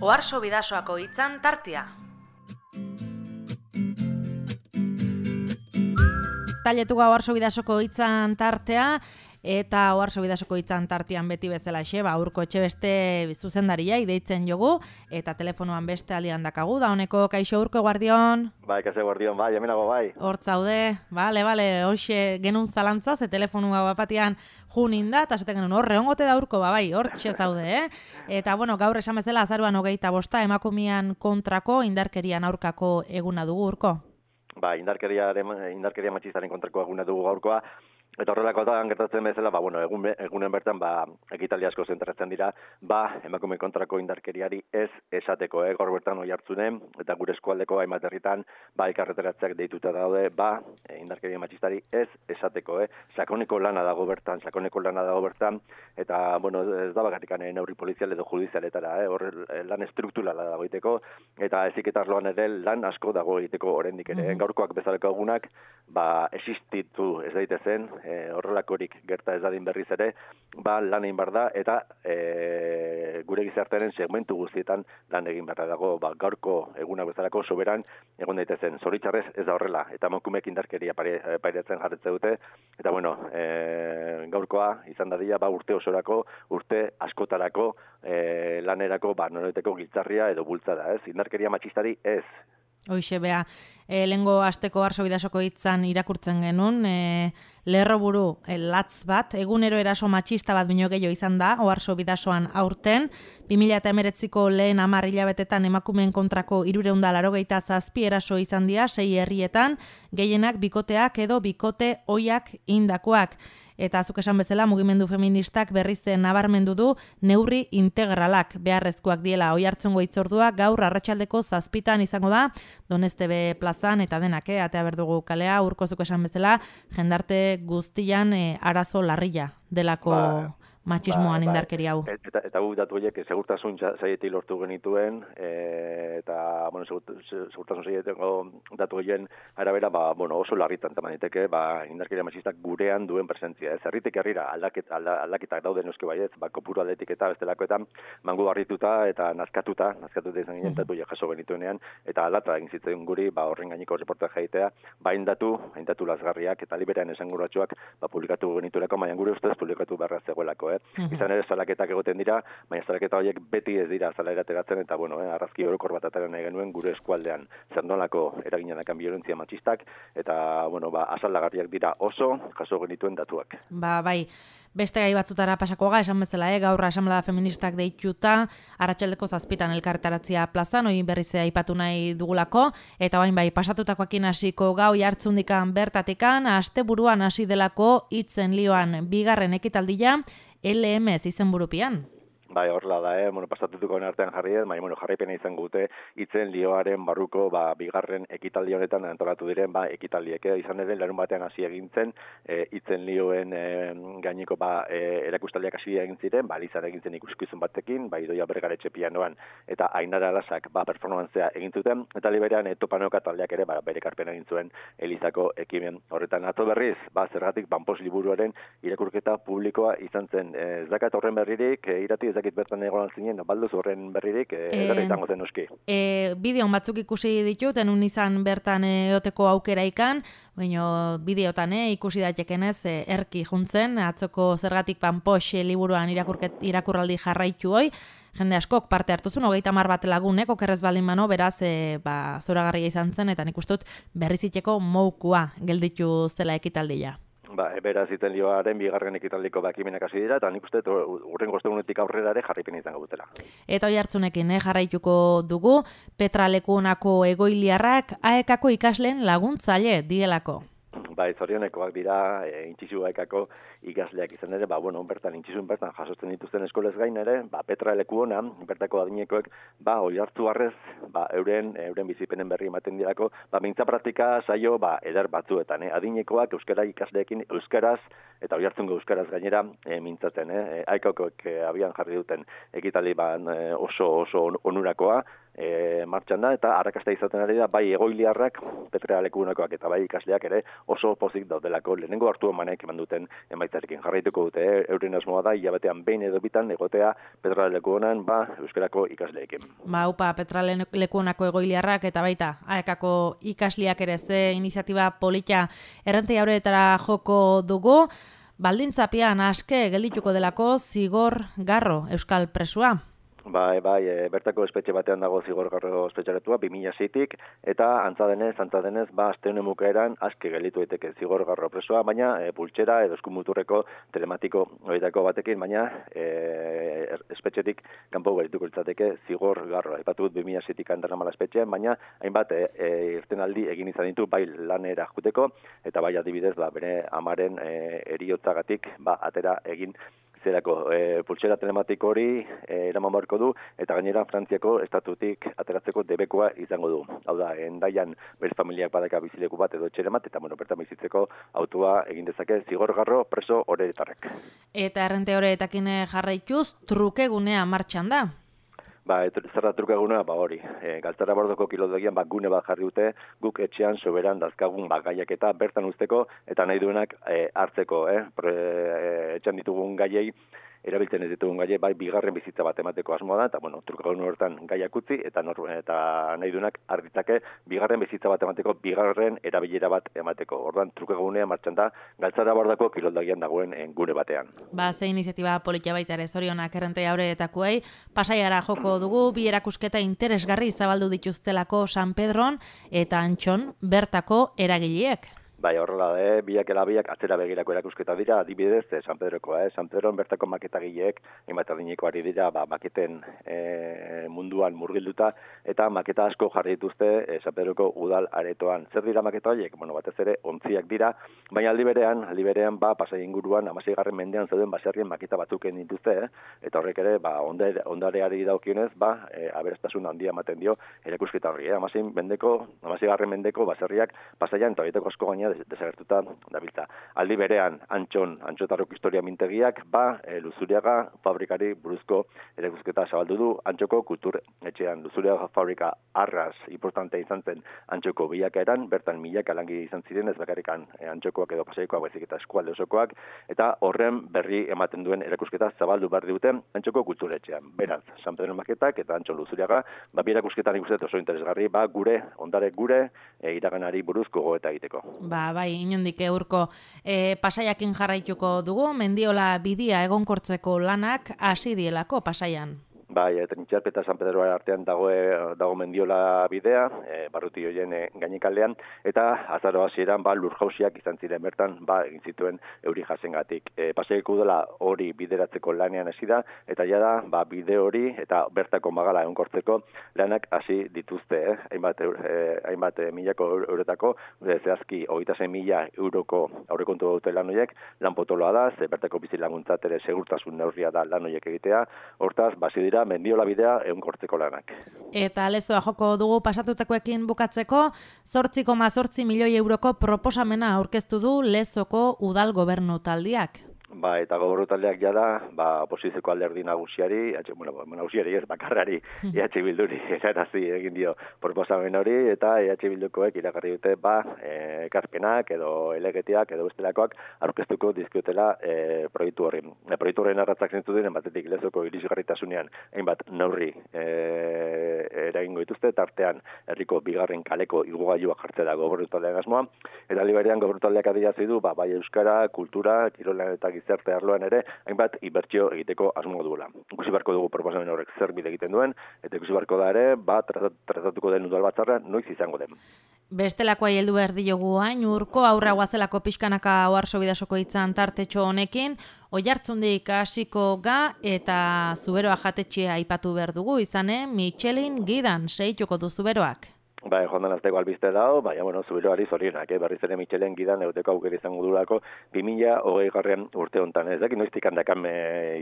Oharso Bidasoako hitzan tartea. Tailetuga Oharso Bidasoko hitzan tartea, eta Oharso Bidasoko hitzan tartean beti bezalaxe, Urko Etxebeste zuzendaria deitzen jogu, eta telefonoan beste aldian dakagu, da honeko kaixo Urko guardion. Bai, kaixo guardion, bai, hemenago bai. Hortzaude, bale, hoxe genuen zalantza, ze telefonua bapatian junin da, eta zaten genuen horre ongote da Urko, bai, hortxe zaude, Eta, gaur esan bezala azaruan 25 emakumean kontrako, indarkerian aurkako eguna dugu Urko. Ba, indarkeria matxistaren kontrako eguna dugu gaurkoa, eta horrelakoetan gertatzen bezala, egunen bertan, ekitaldi asko zentratzen dira, emakume kontrako indarkeriari ez esateko, gaur bertan Oiartzunen, eta gure eskualdeko hainbat herritan, elkarreteratzeak deituta daude, indarkeria matxistari ez esateko, sakoneko lana dago bertan, eta, ez da bakarrik neurri polizial edo judizialetara, hor lan estrukturala dago egiteko, eta eziketa arloan ere lan asko dago egiteko oraindik ere, gaurkoak bezaleko egunak, existitu ez daitezen, horrelakorik gerta ez dadin berriz ere, lan egin behar da, eta gure gizartearen segmentu guztietan lan egin behar dago, gaurko egunak bezalako soberan egon daitezen. Zoritxarrez ez da horrela, eta emakumeek indarkeria pairatzen jarretze dute, eta gaurkoa izan dadila urte osorako, urte askotarako lanerako noreteko giltzarria edo bultzada, indarkeria matxistari ez. Hoixe, bea, lehengo asteko Oharso Bidasoko hitzan irakurtzen genuen, lerroburu latz bat, egunero eraso matxista bat bino gehiago izan da, Oharso Bidasoan aurten, 2019ko lehen 10 hilabetetan emakumeen kontrako 387 eraso izan dira, 6 herrietan, gehienak bikoteak edo bikote ohiak indakoak. Eta azuk esan bezala, mugimendu feministak berriz nabarmendu du neurri integralak beharrezkoak diela. Oiartzungo hitzordua gaur arratsaldeko 7 izango da, Donestebe plazan eta denak, atea berdugu kalea, Urkozuk esan bezala, jendarte guztian arazo larria delako matxismoan indarkeri hau. Eta guk datu horiek segurtasun saietik lortu genituen, eta segurtasun saieteko datu horien arabera oso larritan tamaniteke indarkeria matxistak gurean duen presentzia. Herritik herrira aldaketak dauden euske baietz, kopuru aldetik eta bestelakoetan mangu harrituta eta nazkatuta izan ginen datu jaso genituenean, eta aldata egin zitzen guri horren gaineko reportaje jaitea, haindatu lazgarriak eta liberean esanguratsuak publikatu genituelako, baina gure ustez publikatu beharra zegoelako. Izan ere salaketak egoten dira, baina salaketa horiek beti ez dira zalaera ateratzen, eta arrazki orokor bat atera nahi genuen gure eskualdean zernolako eraginanekan biolentzia matxistak, eta asaldagarriak dira oso jaso genituen datuak. Bai, beste gai batzutara pasakoa esan bezala, gaur asamblea feministak deituta, arratsaldeko 7 elkarretaratzea plazan, hori berriz aipatu nahi dugulako, eta pasatutakoakin hasiko gau Oiartzundikan bertatikan, asteburuan hasi delako hitzen lioan bigarren ekitaldia, LMS izenburupean. Bai, horrela da, pasatutukoen artean jarri ez, baina jarraipena izan gute hitzen lioaren barruko bigarren ekitaldi honetan antolatu diren ekitaldiek. Izan ere, larun batean hasi egintzen, hitzen lioen gaineko erakustaldiak hasi egin ziren, Lizan egin zen ikuskizun batekin, Idoia Bergaretxe pianoan, eta Ainara Alasak performantzea egin zuten, eta liberean Topanoka taldeak ere bere karpena egin zuen Elizako ekimen horretan. Atzo berriz, zergatik Banpos liburuaren irakurketa publikoa izan zen. Ez dakat horren berririk, irati ez bertan egon altzinen, balduz horren berririk, edarra izango zen noski. Bideon batzuk ikusi ditut, enun izan bertan eoteko aukera ikan, baina bideotan ikusi daitekenez erki juntzen, atzoko zergatik Banpos liburuan irakurraldi jarraitu hoi, jende askok parte hartuzun, 30 bat lagunek, okerrez baldin mano, beraz, zoragarria izan zen, eta nik ustut berriziteko moukua gelditu zela ekitaldia. Beraz iten lioaren bigarren ekitaldiko ekimenak hasi dira, eta nik uste urrengo ostegunetik aurrera ere jarraipena izango dutela. Eta Oiartzunekin jarraituko dugu, Petra Lekunako egoiliarrak AEKako ikasleen laguntzaile dielako. Zorionekoak dira, intxizu AEKako ikasleak izan ere, bertan intxizun bertan jasotzen dituzten eskolez gain ere, Petra Lekuona, bertako adinekoek, Oiartzuarrez, euren bizipenen berri ematen dirako, mintza praktika saio, eder batzuetan, adinekoak euskara ikasleekin euskaraz, eta Oiartzungo euskaraz gainera mintzaten, AEKakoek abian jarri duten ekitaldi oso onurakoa, martxan da, eta arrakasta izaten ari da, bai egoiliarrak, Petra lekunakoak eta bai ikasleak ere oso pozik daudelako lehenengo hartu emanek eman duten emaitzarekin. Jarraituko dute, euren asmoa da, hilabetean behin edo bitan egotea Petra lekuonan, euskarako ikasleekin. Upa, Petra lekuonako egoiliarrak eta baita, aekako ikasleak ere ze iniziatiba polita errentei aurretara joko dugu, baldintzapian aske geldituko delako zigor garro euskal presua. Bai, bertako espetxe batean dago zigorgarro espetxaretua, 2006-tik, eta antza denez, aste honen bukaeran aske gelditu daiteke zigorgarro presoa, baina pultsera edo eskumuturreko telematiko horietako batekin, baina espetxetik kanpo geldituko litzateke zigorgarro. Aipatu dut 2006-tik andaramala espetxean, baina hainbat irtenaldi egin izan ditu bai lanera juteko, eta bai adibidez bere amaren heriotzagatik atera egin zerako pultsera telematiko hori eraman beharko du, eta gainera Frantziako estatutik ateratzeko debekoa izango du. Hau da, Hendaian bere familiak badaka bizileku bat edo etxeremat, eta bertan bizitzeko autua egin dezake zigorgarro preso horretarrek. Eta errente horretakin jarraituz, trukegunea martxan da? Zer da trukeguna, hori. Galtzara bordoko kilodogian gune bat jarri dute, guk etxean soberan dazkagun gaiak eta bertan usteko, eta nahi duenak hartzeko. Etxean ditugun gaiei, erabiltzen ez ditugun gaie, bigarren bizitza bat emateko asmoa da, eta trukegun horretan gaiak utzi, eta nahi duenak harritzake bigarren bizitza bat emateko, bigarren erabilera bat emateko. Orduan, trukegunea martxan da, galtzara bordoko kiloldogian dagoen gune batean. Ze iniziatiba politia baita ere zorionak errentei aurretakoei, Pasaiara joko dugu, bi erakusketa interesgarri zabaldu dituztelako San Pedron eta Antxon bertako eragileek. Horrela da, biak atzera begirako erakusketa dira, adibidez, San Pedrokoa. San Pedron bertako maketagileek, hainbat adineko ari dira, maketen munduan murgilduta, eta maketa asko jarri dituzte San Pedroko udal aretoan. Zer dira maketa horiek? Batez ere, ontziak dira, baina aldi berean, Pasai inguruan, 16. mendean zeuden baserrien maketa batzuken dituzte, eta horrek ere, ondareari daukionez, aberastasun handia ematen dio erakusketa horri. 16. mendeko baserriak Pasaian eta horietako asko gaina desagertuta dabiltza. Aldi berean, Antxotarrok historia mintegiak, Luzuriaga fabrikari buruzko erakusketa zabaldu du, Antxoko kultur etxean. Luzuriaga fabrika arras importante izan zen Antxoko bilakaeran, bertan milaka langi izan ziren, ez bakarrikan Antxokoak edo Pasaikoak, baizik eta eskualde osokoak, eta horren berri ematen duen erakusketa zabaldu behar dute Antxoko kultur etxean. Beraz, San Pedro maketak eta Antxo Luzuriaga, bi erakusketan ikusten oso interesgarri, gure iraganari buruzko gogoeta egiteko. Inondik eurko Pasaiakin jarraituko dugu, Mendiola bidia egonkortzeko lanak hasi dielako Pasaian. Trintxerpe eta San Pedro artean dago Mendiola bidea, barruti horien gainekaldean, eta azaro hasieran lurjausiak izan ziren bertan, egin zituen euri jasengatik. Pasaiako udala hori bideratzeko lanean hasi da, eta jada, bide hori eta bertako magala egonkortzeko lanak hasi dituzte, hainbat milako eurotako, zehazki 26.000 euroko aurrekontu dute lan horiek, lan potoloa da, bertako bizilaguntzat ere segurtasun neurria da lan horiek egitea, hortaz, dira Mendiola bidea egonkortzeko lanak. Eta lezoa joko dugu pasatutakoekin bukatzeko, 8,8 milioi euroko proposamena aurkeztu du Lezoko udal gobernu taldiak. Eta gobernu taldeak jada, oposizioko alderdi nagusiari, nagusiari ez, bakarrari, EH Bilduri erarazi egin dio proposamen hori, eta EH Bildukoek iragarri dute, ekarpenak edo elegetiak edo bestelakoak aurkeztuko dizkiotela proiektu horri. Proiektu horren arratzak zentzu diren, batetik Lezoko irisgarritasunean hainbat neurri eragingo dituzte, tartean herriko bigarren kaleko igogailuak jartzea da gobernu taldean asmoa, eta liberean gobernu taldeak adierazi du, bai euskara, kultura, kirolan eta gizarte arloan ere, hainbat inbertsio egiteko asmo duela. Ikusi beharko dugu proposamen horrek zer bide egiten duen, eta ikusi beharko da ere, tratatuko den udal batzarra noiz izango den. Bestelakoa heldu behar diogu hain, urko aurra guazelako pixkanaka Oarso Bidasoko hitzan tartetxo honekin, Oiartzundik hasiko ga eta Zuberoa jatetxea aipatu behar dugu izane, Michelin gidan seituko du Zuberoak. Joan den azteko albiste dago, Zuberoari zorionak, berriz ere Michelin gidan euteko aukera izango durako 2020 urte honetan. Ez dakit noiztik handakan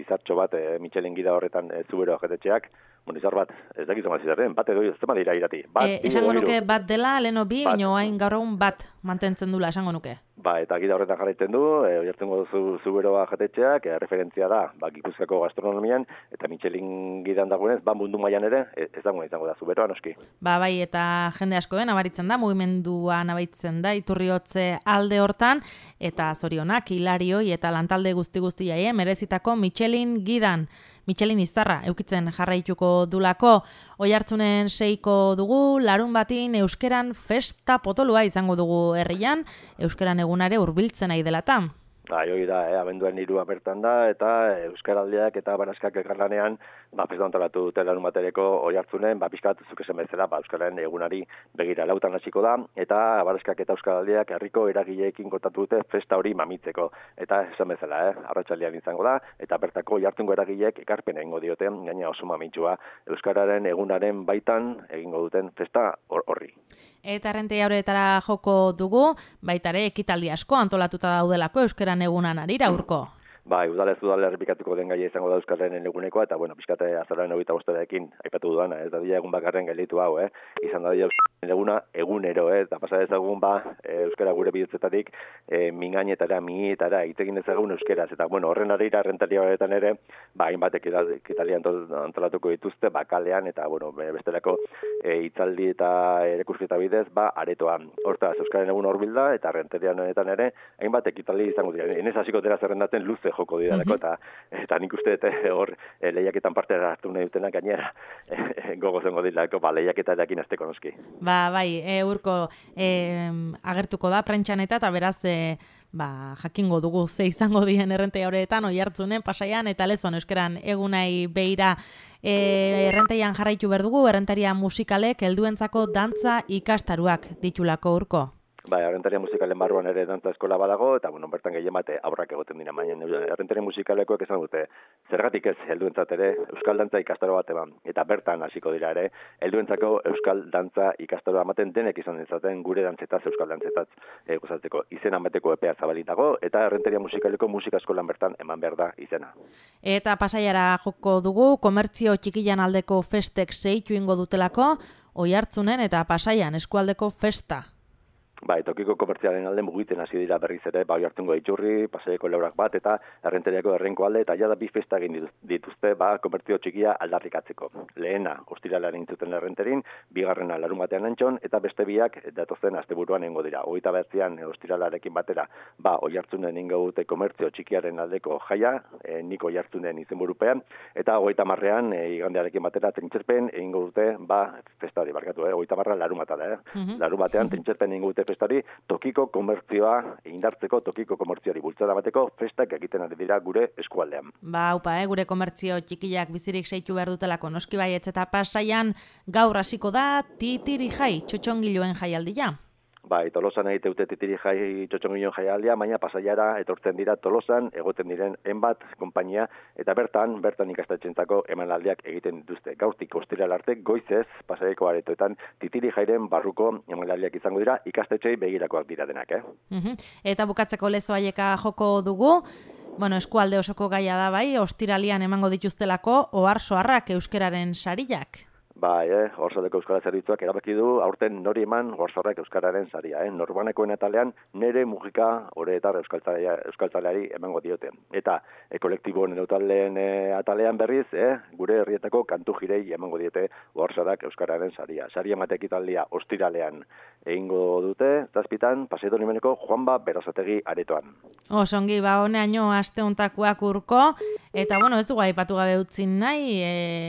izartxo bat Michelin gida horretan Zuberoa jatetxeak, Izar bat, ez dakizu mazizaren, bat edo ez dira irati. Esango nuke bat dela, leheno bi, baina hain gaur egun bat mantentzen dula, esango nuke. Eta gida horretan jarraitzen du, oihartzungo zuberoa jatetxeak, referentzia da, Gipuzkoako gastronomian, eta Michelin gidan dagoenez, mundu mailan ere, ez dagoen izango da zuberoa, noski. Bai, eta jende asko nabaritzen da, mugimendua nabaritzen da, Iturriotze alde hortan, eta zorionak, hilarioi eta lantalde guzti jaie, merezitako Michelin gidan. Michelin izarra eukitzen jarraituko dulako. Oihartzunen 6ko dugu, larun batin euskeran festa potolua izango dugu herrian, euskeran egunare hurbiltzen nahi delatan. Hoi da, abenduaren 3 bertan da, eta euskaraldiak eta baraskak elkarlanean, festa antolatu dute larun batereko Oihartzunen, pixkat zuk esan bezala, euskararen egunari begira lautan hasiko da, eta baraskak eta euskaraldiak herriko eragileekin kontatu dute festa hori mamitzeko. Eta esan bezala, arratsaldean izango da, eta bertako Oihartzungo eragileek ekarpena egingo diote, gaina oso mamitsua euskararen egunaren baitan egingo duten festa horri. Eta Errenteria horretara joko dugu, baitare ekitaldi asko antolatuta daudelako euskeran egunan arira urko. Udalez errepikatuko den gaia izango da euskararen egunekoa, eta pixkate azararen 25 aipatu duana, ez da egun bakarren gelditu hau, izan da euskararen eguna egunero, eta pasa dezagun euskara gure bidetzetatik mingainetara, mietara, itegin dezagun euskeraz, eta horren arira Errenteria horretan ere, hainbat ekitaldi antolatuko dituzte, kalean, eta bestelako hitzaldi eta erakusketa bidez, aretoan. Hortaz, euskararen egun horbilda, eta Errenteria horretan ere, hainbat ekitaldi izango dira. Enez hasiko dira zerrendaten luze joko didalako, eta nik uste hor lehiaketan parte hartu nahi dutenak gainera gogo zengo dilako, lehiaketarekin azteko noski. Urko agertuko da prentxan eta beraz jakingo dugu ze izango dien Errenteria horretan, Oihartzunen, Pasaian eta Lezon euskeran egunai beira. Errenterian jarraitu berdugu, Errenteria musikalek helduentzako dantza ikastaruak ditulako Urko. Errenteria musikalen barruan ere dantza eskola badago, eta bertan gehien bate aurrak egoten dira, baina Errenteria musikalekoek esan dute, zergatik ez helduentzat ere euskal dantza ikastaro bat eman, eta bertan hasiko dira ere, helduentzako euskal dantza ikastaro ematen denek izan dezaten gure dantzetaz, euskal dantzetaz gozatzeko izenan beteko epea zabalitago, eta Errenteria musikaleko musika eskolan bertan eman behar da izena. Eta Pasaiara joko dugu, komertzio txikilan aldeko festek sehitu ingo dutelako, Oihartzunen eta Pasaian eskualdeko festa. Tokiko komertzialen alde mugiten hasi dira berriz ere, Oihartzungo Itxurri, Pasaiako Leurak bat, eta Errenteriako Errenko alde, eta jada bi festa egin dituzte, komertzio txikia aldarrikatzeko. Lehena, ostiralean intzuten Errenterin, bigarrena larun batean antxon, eta beste biak datozen asteburuan egingo dira. 29 ostiralarekin batera, Oihartzunen ingo dute komertzio txikiaren aldeko jaia, nik Oihartzunen izenburupean, eta 30ean igandearekin batera trintxerpen egingo dute, festa hori barkatu, 30 larun batada, larun batean trintxerpen egingo dute festari, tokiko komertzioa indartzeko, tokiko komertzioari bultzada bateko festak egiten ari dira gure eskualdean. Gure komertzio txikiak bizirik seitu behar dutelako noski baietz, eta Pasaian gaur hasiko da titiri jai, txotxongiloen jaialdia. Tolosan egiteute titiri jai txotxongiloen jaialdia, baina Pasaiara etortzen dira Tolosan, egoten diren enbat konpainia, eta bertan ikastetxentzako emanaldiak egiten dituzte. Gaurtik ostiral arte, goizez, Pasaiako aretoetan titiri jairen barruko emanaldiak izango dira, ikastetxei begirakoak dira denak, Eta bukatzeko Lezo Aieka joko dugu, eskualde osoko gaia da ostiralian emango dituztelako oharsoarrak euskeraren sariak. Orsaldeko Euskara Zerbitzuak erabaki du aurten nori eman Orsarrak euskararen saria. Norbanekoen atalean nere mugika oreetar euskaltzaleari emango diote. Eta kolektiboen eutaldeen atalean berriz, gure herrietako kantu jirei emango diote Orsarrak euskararen saria. Saria matekitaldia ostiralean egingo dute, zazpitan, Pasaido Nimeneko Juanba Berasategi aretoan. Osongi, honeaino aste hontakoak Urko, eta ez dugu aipatu gabe utzi nahi,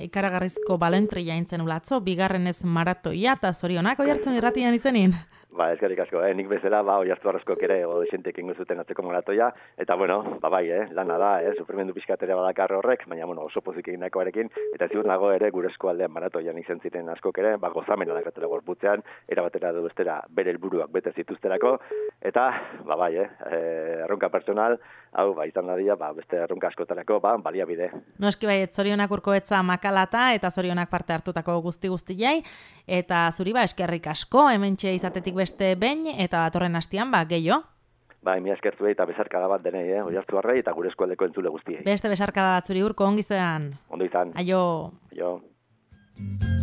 ikaragarrizko balentria intzen ulatzo, bigarrenez maratoia, eta zorionak Oihartzun irratian izenin. Eskerrik asko, nik bezala, Oihartzun arrozkoak ere odesentek ingo zuten atzeko maratoia, eta lana da, sufrimendu pixkatera badakar horrek, baina oso pozik eginakoarekin, eta ziur nago ere gure eskualdean maratoian izan ziren askok ere, gozamena dakatela gorputzean, erabatera du bestera bere helburuak bete zituzterako, eta, erronka personal, hau, izan dadia, beste erronka askotarako, baliabide. Noski zorionak Urkoetza makalata, eta zorionak parte hartutako guzti-guztiei, eta zuri eskerrik asko, hementxe izatetik beste behin, eta datorren hastian, gehiago. Mi eskertzuei eta besarkada bat denei, Oihartzunarrei eta gure eskualdeko entzule guztiei. Beste besarkada bat zuri Urko, ongi zean. Ondo izan. Aio. Aio. Thank